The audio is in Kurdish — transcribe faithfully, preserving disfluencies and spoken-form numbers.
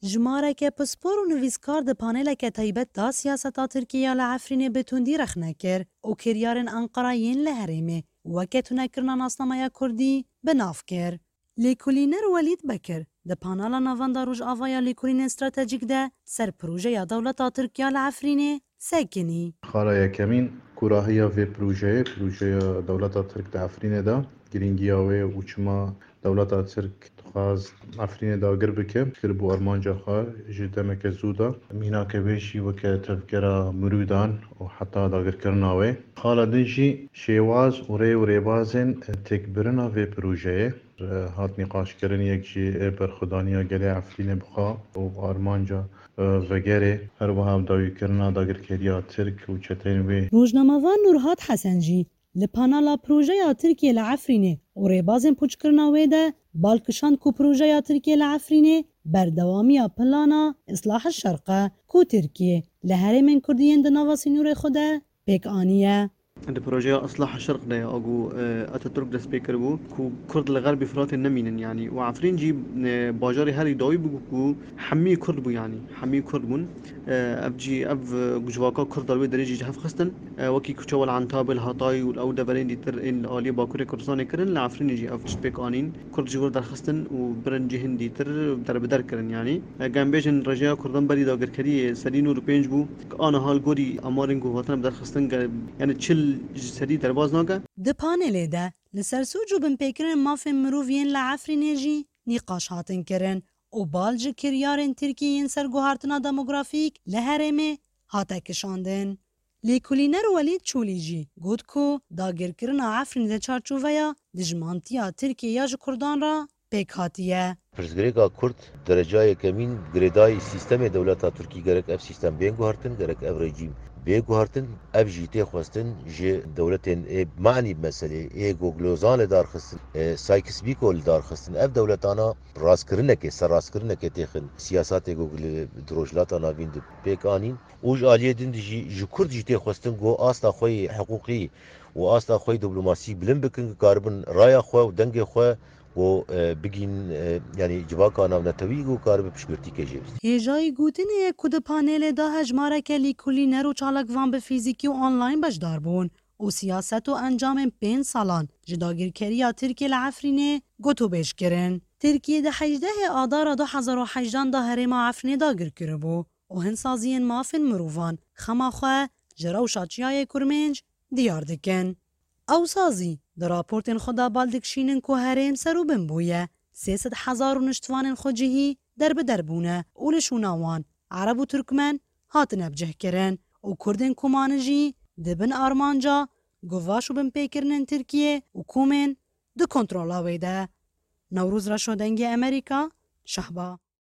Jimareke pispor û nivîskar di paneleke taybet de siyaseta Tirkiyê ya li Efrînê bi tundî rexne kir û kiryarên Enqera yên li herêmê weke tunekirina nasnameya Kurdî bi nav kir. Lêkolîner Welîd Bekir di panela Navenda Rojava ya Lêkolînên Stratejîk de ser projeya dewleta Tirk ya li Efrînê sekinî. Xala yekemîn, kûrahiya vê projeyê, projeya dewleta Tirk di Efrînê de, girîngiya wê û çima dewleta Tirk dixwest Efrînê dagir bike, kir bû armanca xwe ji demeke zû de. Mînake wê jî weke tevgera mirûdan û heta dagirkirina wê. Xala din jî şêwaz û rê û rêbazên têkbirina vê projeyê hat nîqaşkirin, yek jî ê berxwedaniya gelê Efrînê bi xwe û armanca, e, vegerê, her wiha bi dawîkirina dagirkeriya Tirk û çeteyên wê. Rojnamevan Nurhat Hesen jî li panela projeya Tirkiyê li Efrînê û rêbazên pûçkirina wê de bal kişand ku projeya Tirkiyê li Efrînê berdewamiya plana Islahil Şerq e ku Tirkiye li herêmên Kurdî yên di nava sînorê xwe de pêk aniye. Di projeya Islaha Şerq de ye, a ku, e, Ataturk dest pê kiribû, ku Kurd li Xerbî Firatê nemînin, yanî, û Efrîn jî, e, bajarê herî dawî bû ku hemî Kurd bû, yanî, hemî Kurd bûn. E, ev jî, ev, e, civaka Kurd da li wê derê jî ji hev xistin. E, wekî ku çawa li Entabê, li Hatayê û li ew deverên dîtir ên li aliyê Bakurê Kurdistanê kirin, li Efrînê jî ev tişt pêk anîn. Kurd ji wir derxistin û birin cihên dîtir derbeder kirin, yanî. Eger em bêjin rêjeya Kurdan berî dagirkeriyê sedî nod û pênc bû, Aniha li gorî amarên ku hatine bi derxistin, ge-, yani çil ji sedî derbas nake. Di panelê de li ser sûc û binpêkirinên mafên mirov yên li Efrînê jî nîqaş hatin kirin û bal ji kiryarên Tirkiyê yên ser guhartina demografîk li herêmê hate kişandin. Lêkolîner Welîd Çolî jî got ku dagirkirina Efrînê di çarçoveya dijmantiya Tirkiyê ya ji Kurdan re pêk hatiye. Pirsgirêka Kurd dereca yekemîn girêdayî sîstemê dewleta Tirkî, gerek ev sîstem bên guhertin, gerek ev rejîm bê guhertin. Ev jî tê xwestin ji dewletên ê manî bi meselê ê ku Lozanê darxistin, e, Sykes-Picot li darxistin. Ev dewletana rastkirinekê, serrastkirinekê têxin siyasatê ku li, di Rojhilata Navîn di pêk anîn. Û ji aliyê din de jî ji Kurd jî tê xwestin ku asta xwe yê hiqûqî û asta xwe yê diplomasî bilind bikin, ku karibin raya xwe û dengê xwe ku, e, bigîn, e, yanî civaka navnetewî ku karibe piştgirtî ke jê bistî. Hêjayî gotinê ye ku di panelê de hejmareke lîkolîner û çalakvan bi fîzîkî û online beşdar bûn û siyaset û encamên pênc salan ji dagirkeriya Tirkiyê li Efrînê gotûbêj kirin. Tirkiye di hejdehê Adara du hezar û hejdan de herêma Efrînê dagir kiribû û hinsaziyên mafên mirovan xema xwe ji rewşa Çiyayê Kurmênc diyar dikin. Ew sazî di raportên xwe de bal dikişînin ku herêm ser û bin bûye, sê sed hezar rûniştvanên xwecihî derbider bûne û li şûna wan Ereb û Tirkmen hatine bicihkirin û Kurdên ku mane jî di bin armanca guvaş û binpêkirinên Tirkiyê û komên di kontrola wê de. Newroz Reşo, Dengê Amerîka, Şehba.